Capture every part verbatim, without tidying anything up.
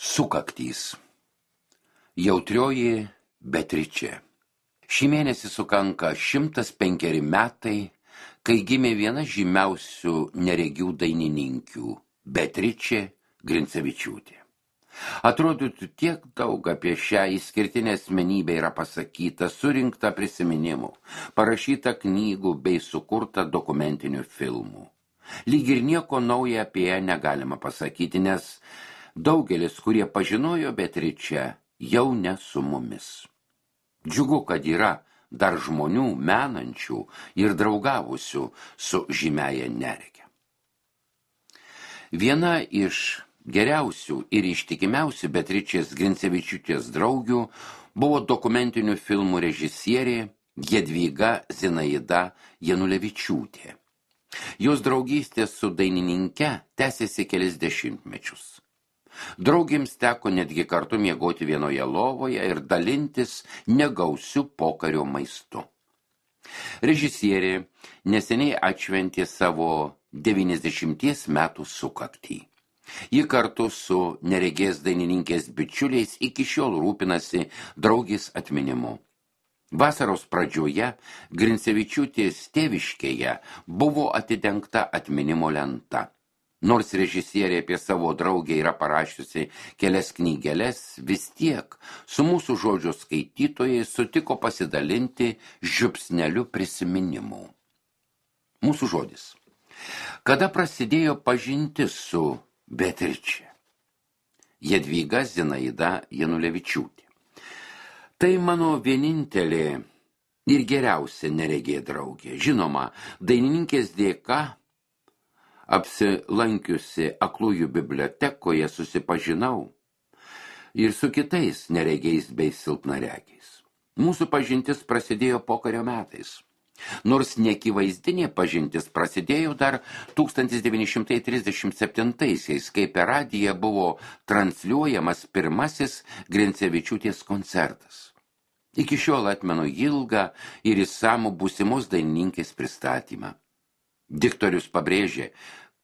Sukaktys. Jautrioji Beatričė. Šį mėnesį sukanka šimtas penkeri metai, kai gimė viena žymiausių neregių dainininkių – Beatričė Grincevičiūtė. Atrodytų, tiek daug apie šią išskirtinę asmenybę yra pasakyta, surinkta prisiminimų, parašyta knygų bei sukurta dokumentinių filmų. Lyg ir nieko nauja apie ją negalima pasakyti, nes daugelis, kurie pažinojo Beatričę, jau ne su mumis. Džiugu, kad yra dar žmonių menančių ir draugavusių su žymiaja nerege. Viena iš geriausių ir ištikimiausių Beatričės Grincevičiūtės draugių buvo dokumentinių filmų režisierė Jadvyga Zinaida Janulevičiūtė. Jos draugystė su dainininke tęsėsi kelis dešimtmečius. Draugėms teko netgi kartu miegoti vienoje lovoje ir dalintis negausiu pokario maistu. Režisierė neseniai atšventė savo devyniasdešimties metų sukaktį. Ji kartu su neregės dainininkės bičiuliais iki šiol rūpinasi draugės atminimu. Vasaros pradžioje Grincevičiūtės tėviškėje buvo atidengta atminimo lenta. Nors režisierė apie savo draugę yra parašiusi kelias knygeles, vis tiek su mūsų žodžio skaitytojai sutiko pasidalinti žiupsneliu prisiminimų. Mūsų žodis. Kada prasidėjo pažintis su Beatričė? Jadvyga Zinaida Janulevičiūtė. Tai mano vienintelė ir geriausia neregė draugė. Žinoma, dainininkės dėka apsilankiusi aklųjų bibliotekoje susipažinau ir su kitais neregiais bei silpnaregiais. Mūsų pažintis prasidėjo pokario metais. Nors neakivaizdinė pažintis prasidėjo dar tūkstantis devyni šimtai trisdešimt septintaisiais, kai per radiją buvo transliuojamas pirmasis Grincevičiūtės koncertas. Iki šiol atmenu ilgą ir išsamų būsimos dainininkės pristatymą. Diktorius pabrėžė,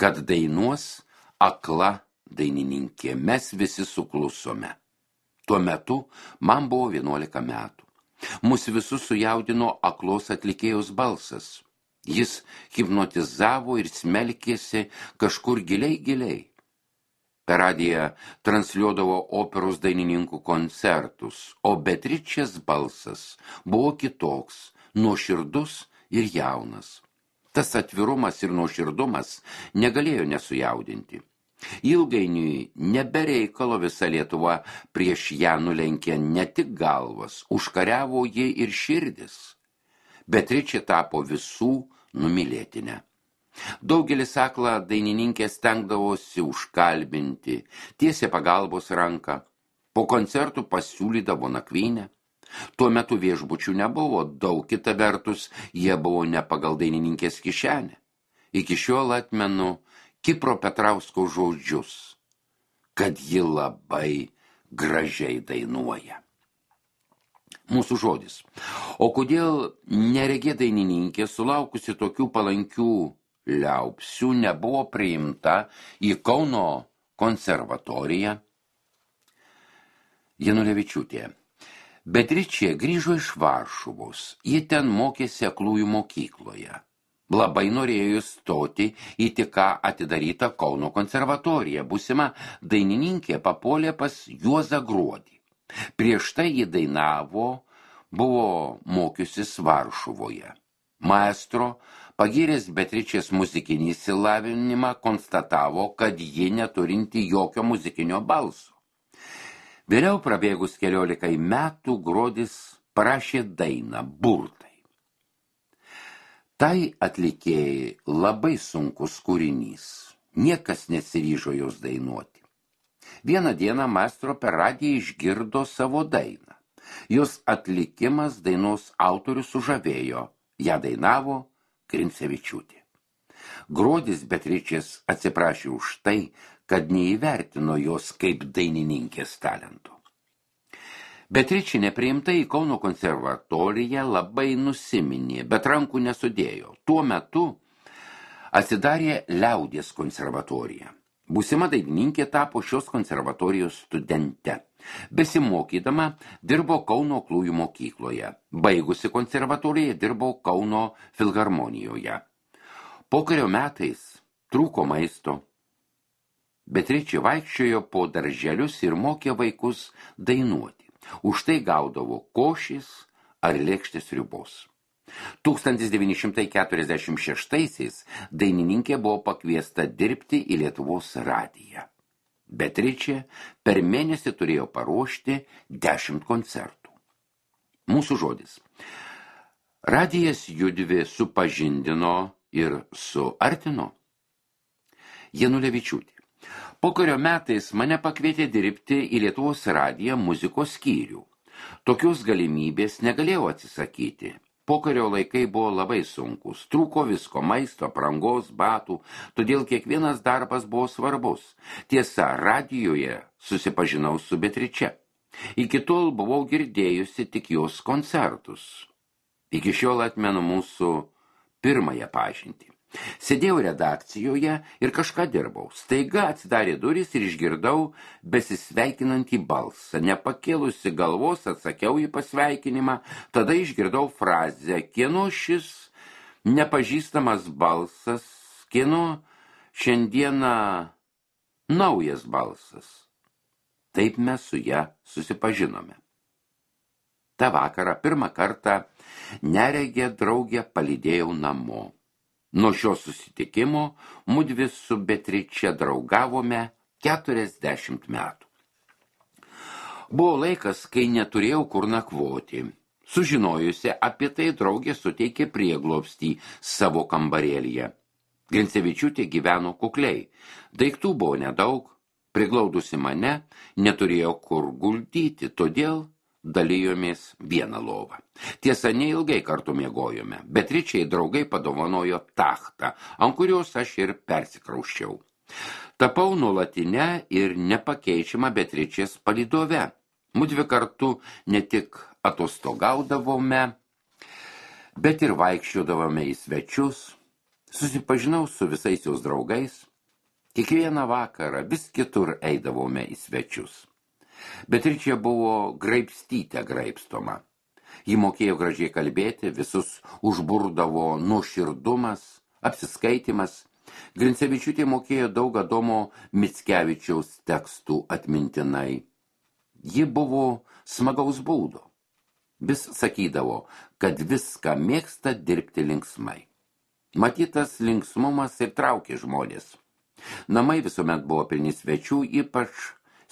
kad dainuos akla dainininkė, mes visi suklusome. Tuo metu man buvo vienuolika metų. Mus visus sujaudino aklos atlikėjos balsas. Jis hipnotizavo ir smelkėsi kažkur giliai giliai. Per radiją transliuodavo operos dainininkų koncertus, o Beatričės balsas buvo kitoks, nuoširdus ir jaunas. Tas atvirumas ir nuoširdumas negalėjo nesujaudinti. Ilgainiui nebereikalo visa Lietuva prieš ją nulenkė ne tik galvas, užkariavo jį ir širdis. Beatričė tapo visų numylėtinė. Daugelis aklą dainininkę stengdavosi užkalbinti, tiesė pagalbos ranką, po koncertų pasiūlydavo nakvynę. Tuo metu viešbučių nebuvo daug, kita vertus, jie buvo ne pagal dainininkės kišenę. Iki šiol atmenu Kipro Petrausko žodžius, kad ji labai gražiai dainuoja. Mūsų žodis. O kodėl neregė dainininkė, sulaukusi tokių palankių liaupsių, nebuvo priimta į Kauno konservatoriją? Janulevičiūtė. Beatričė grįžo iš Varšuvos, ji ten mokėsi aklųjų mokykloje. Labai norėjo stoti į tik ką atidarytą Kauno konservatoriją. Būsima dainininkė papuolė pas Juozą Gruodį. Prieš tai ji dainavo, buvo mokiusis Varšuvoje. Maestro, pagyręs Beatričės muzikinį išsilavinimą, konstatavo, kad ji neturinti jokio muzikinio balso. Vėliau prabėgus keliolikai metų Gruodis parašė dainą Burtai. Tai atlikėjai labai sunkus kūrinys. Niekas nesiryžo jos dainuoti. Vieną dieną maestro per radiją išgirdo savo dainą. Jos atlikimas dainos autorius sužavėjo. Ją dainavo Grincevičiūtė. Gruodis Beatričės atsiprašė už tai, kad neįvertino jos kaip dainininkės talentų. Beatričė nepriimta į Kauno konservatoriją labai nusiminė, bet rankų nesudėjo. Tuo metu atsidarė liaudies konservatorija. Būsima dainininkė tapo šios konservatorijos studente. Besimokydama dirbo Kauno aklųjų mokykloje. Baigusi konservatoriją dirbo Kauno filharmonijoje. Pokario metais trūko maisto. Beatričė vaikščiojo po darželius ir mokė vaikus dainuoti. Už tai gaudavo košės ar lėkštės sriubos. tūkstantis devyni šimtai keturiasdešimt šeštaisiais dainininkė buvo pakviesta dirbti į Lietuvos radiją. Beatričė per mėnesį turėjo paruošti dešimt koncertų. Mūsų žodis. Radijas judvi supažindino ir suartino. Janulevičiūtė. Pokario metais mane pakvietė dirbti į Lietuvos radiją muzikos skyrių. Tokios galimybės negalėjau atsisakyti. Pokario laikai buvo labai sunkus, trūko visko, maisto, aprangos, batų, todėl kiekvienas darbas buvo svarbus. Tiesa, radijoje susipažinau su Beatriče. Iki tol buvau girdėjusi tik jos koncertus. Iki šiol atmenu mūsų pirmąją pažintį. Sėdėjau redakcijoje ir kažką dirbau. Staiga atsidarė durys ir išgirdau besisveikinantį balsą. Nepakėlusi galvos atsakiau į pasveikinimą, tada išgirdau frazę, kieno šis nepažįstamas balsas, kieno šiandieną naujas balsas. Taip mes su ja susipažinome. Ta vakarą pirmą kartą neregę draugę palydėjau namo. Nuo šio susitikimo mudvi su Beatriče draugavome keturiasdešimt metų. Buvo laikas, kai neturėjau kur nakvoti. Sužinojusi apie tai, draugė suteikė prieglobstį savo kambarėlyje. Grincevičiūtė gyveno kukliai. Daiktų buvo nedaug, priglaudusi mane, neturėjo kur guldyti, todėl dalijomės vieną lovą. Tiesa, neilgai kartu miegojome. Beatričiai draugai padovanojo tachtą, ant kurios aš ir persikrauščiau. Tapau nuolatinę ir nepakeičiamą Beatričės palydove. Mudvi kartu ne tik atostogaudavome, bet ir vaikščiodavome į svečius. Susipažinau su visais jos draugais. Kiekvieną vakarą vis kitur eidavome į svečius. Beatričė buvo graibstytė graibstoma. Ji mokėjo gražiai kalbėti, visus užburdavo nuoširdumas, apsiskaitimas. Grincevičiūtė mokėjo daug Adomo Mickevičiaus tekstų atmintinai. Ji buvo smagaus būdo. Vis sakydavo, kad viską mėgsta dirbti linksmai. Matytas linksmumas ir traukė žmonės. Namai visuomet buvo pilni svečių, ypač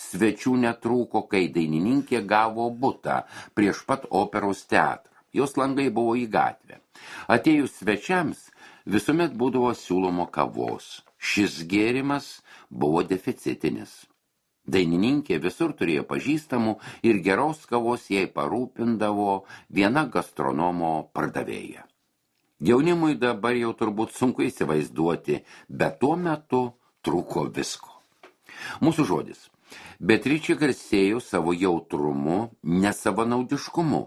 svečių netrūko, kai dainininkė gavo butą prieš pat operos teatrą. Jos langai buvo į gatvę. Atėjus svečiams visuomet būdavo siūlomo kavos. Šis gėrimas buvo deficitinis. Dainininkė visur turėjo pažįstamų ir geros kavos jai parūpindavo viena gastronomo pardavėja. Jaunimui dabar jau turbūt sunku įsivaizduoti, bet tuo metu trūko visko. Mūsų žodis. Beatričė garsėjo savo jautrumu, nesavanaudiškumu.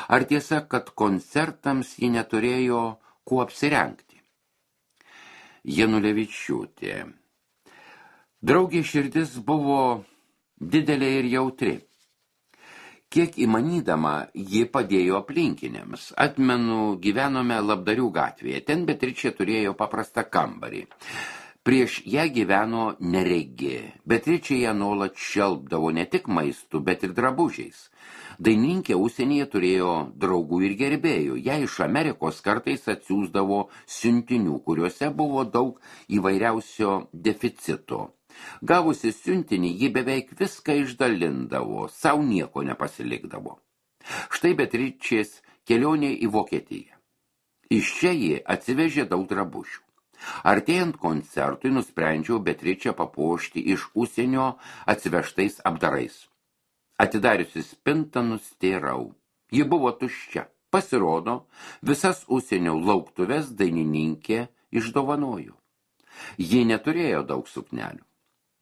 Ar tiesa, kad koncertams ji neturėjo kuo apsirengti? Janulevičiūtė. Draugė širdis buvo didelė ir jautri. Kiek įmanydama, ji padėjo aplinkiniams. Atmenu, gyvenome Labdarių gatvėje. Ten Beatričė turėjo paprastą kambarį. Prieš ją gyveno neregė. Beatričė ją nuolat šelpdavo ne tik maistu, bet ir drabužiais. Dainininkė užsienyje turėjo draugų ir gerbėjų. Ją iš Amerikos kartais atsiųsdavo siuntinių, kuriuose buvo daug įvairiausio deficito. Gavusi siuntinį, ji beveik viską išdalindavo, savo nieko nepasilikdavo. Štai Beatričės kelionė į Vokietiją. Iš čia ji atsivežė daug drabužių. Artėjant koncertui nusprendžiau Beatričę papuošti iš užsienio atsivežtais apdarais. Atidariusi spintą nustėrau. Ji buvo tuščia. Pasirodo, visas užsienio lauktuves dainininkė išdovanojo. Ji neturėjo daug suknelių.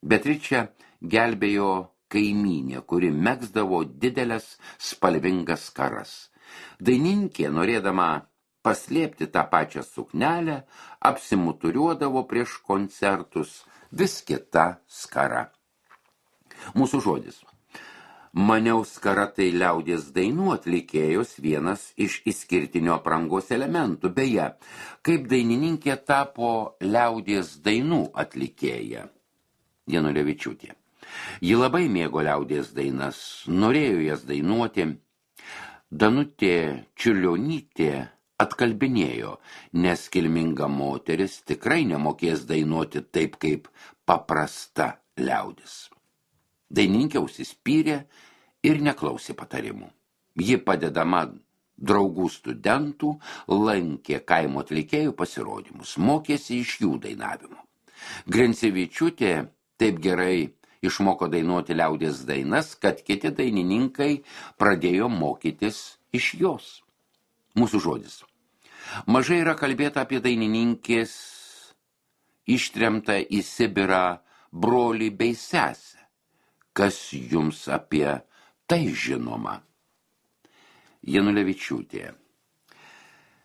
Beatričę gelbėjo kaimynė, kuri megzdavo didelės spalvingas skaras. Dainininkė, norėdama paslėpti tą pačią suknelę, apsimuturiuodavo prieš koncertus, vis kita skara. Mūsų žodis. Maniau, skara tai liaudies dainų atlikėjos vienas iš išskirtinio aprangos elementų. Beje, kaip dainininkė tapo liaudies dainų atlikėja. Janulevičiūtė. Ji labai mėgo liaudies dainas, norėjo jas dainuoti. Danutė Čiurlionytė atkalbinėjo, nes kilminga moteris tikrai nemokės dainuoti taip kaip paprasta liaudis. Dainininkė užsispyrė ir neklausė patarimų. Ji padedama draugų studentų lankė kaimo atlikėjų pasirodymus, mokėsi iš jų dainavimo. Grincevičiūtė taip gerai išmoko dainuoti liaudies dainas, kad kiti dainininkai pradėjo mokytis iš jos. Mūsų žodis. Mažai yra kalbėta apie dainininkės ištremtą į Sibirą brolį bei sesę. Kas jums apie tai žinoma? Janulevičiūtė.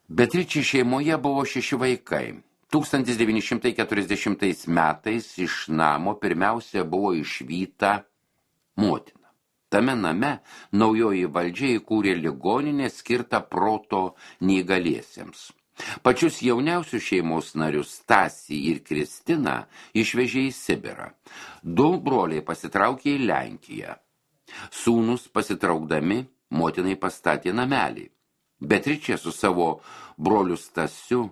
Beatričė šeimoje buvo šeši vaikai. tūkstantis devyni šimtai keturiasdešimtais metais iš namo pirmiausia buvo išvyta motina. Tame name naujoji valdžia įkūrė ligoninę skirtą proto neįgaliesiems. Pačius jauniausius šeimos narius Stasį ir Kristiną išvežė į Sibirą. Du broliai pasitraukė į Lenkiją. Sūnus pasitraukdami motinai pastatė namelį. Beatričė su savo broliu Stasiu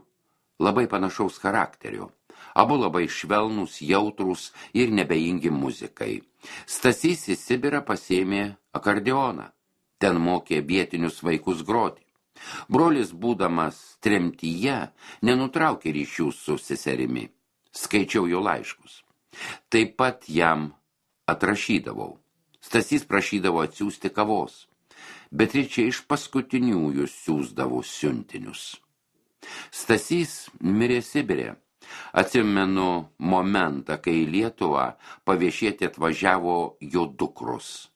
labai panašaus charakterio. Abu labai švelnūs, jautrūs ir nebejingi muzikai. Stasys į Sibirą pasėmė akordeoną. Ten mokė vietinius vaikus groti. Brolis, būdamas tremtyje, nenutraukė ryšių su seserimi. Skaičiau jo laiškus. Taip pat jam atrašydavau. Stasys prašydavo atsiųsti kavos. Beatričė iš paskutiniųjų siųsdavo siuntinius. Stasys mirė Sibire. Atsimenu momentą, kai į Lietuvą paviešėti atvažiavo jo dukros.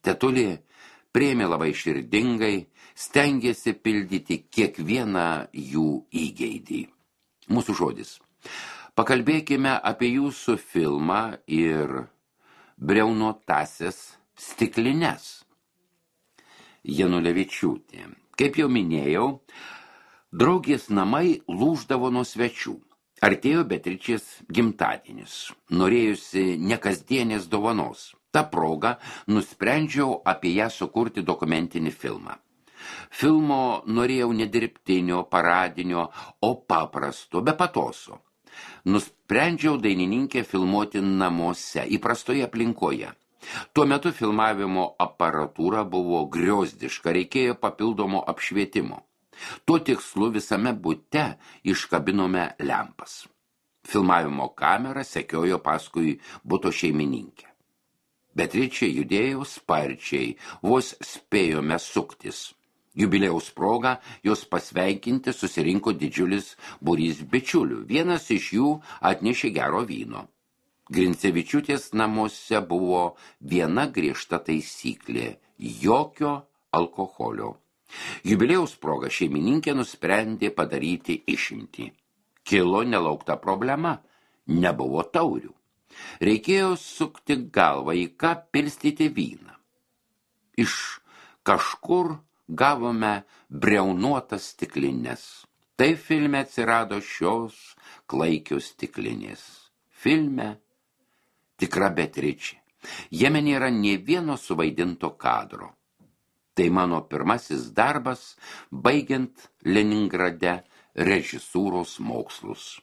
Tetulė priėmė labai širdingai, stengėsi pildyti kiekvieną jų įgeidį. Mūsų žodis. Pakalbėkime apie jūsų filmą ir briaunotąsias stiklines. Janulevičiūtė. Kaip jau minėjau, draugės namai lūždavo nuo svečių. Artėjo Beatričės gimtadienis. Norėjusi nekasdienės dovanos. Ta proga nusprendžiau apie ją sukurti dokumentinį filmą. Filmo norėjau ne dirbtinio, paradinio, o paprasto, be patoso. Nusprendžiau dainininkę filmuoti namuose, įprastoje aplinkoje. Tuo metu filmavimo aparatūra buvo griozdiška, reikėjo papildomo apšvietimo. Tuo tikslu visame bute iškabinome lempas. Filmavimo kamera sekiojo paskui buto šeimininkę. Beatričė judėjo sparčiai, vos spėjome suktis. Jubiliejaus proga jos pasveikinti susirinko didžiulis būrys bičiulių. Vienas iš jų atnešė gero vyno. Grincevičiūtės namuose buvo viena griežta taisyklė – jokio alkoholio. Jubiliejaus proga šeimininkė nusprendė padaryti išimtį. Kilo nelaukta problema – nebuvo taurių. Reikėjo sukti galvą, į ką pilstyti vyną. Iš kažkur gavome briaunuotas stiklines. Tai filme atsirado šios klaikios stiklinės. Filme tikra Beatričė. Jame nėra nė vieno suvaidinto kadro. Tai mano pirmasis darbas, baigiant Leningrade režisūros mokslus.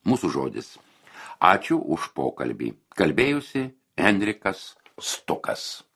Mūsų žodis. Ačiū už pokalbį. Kalbėjusi Henrikas Stukas.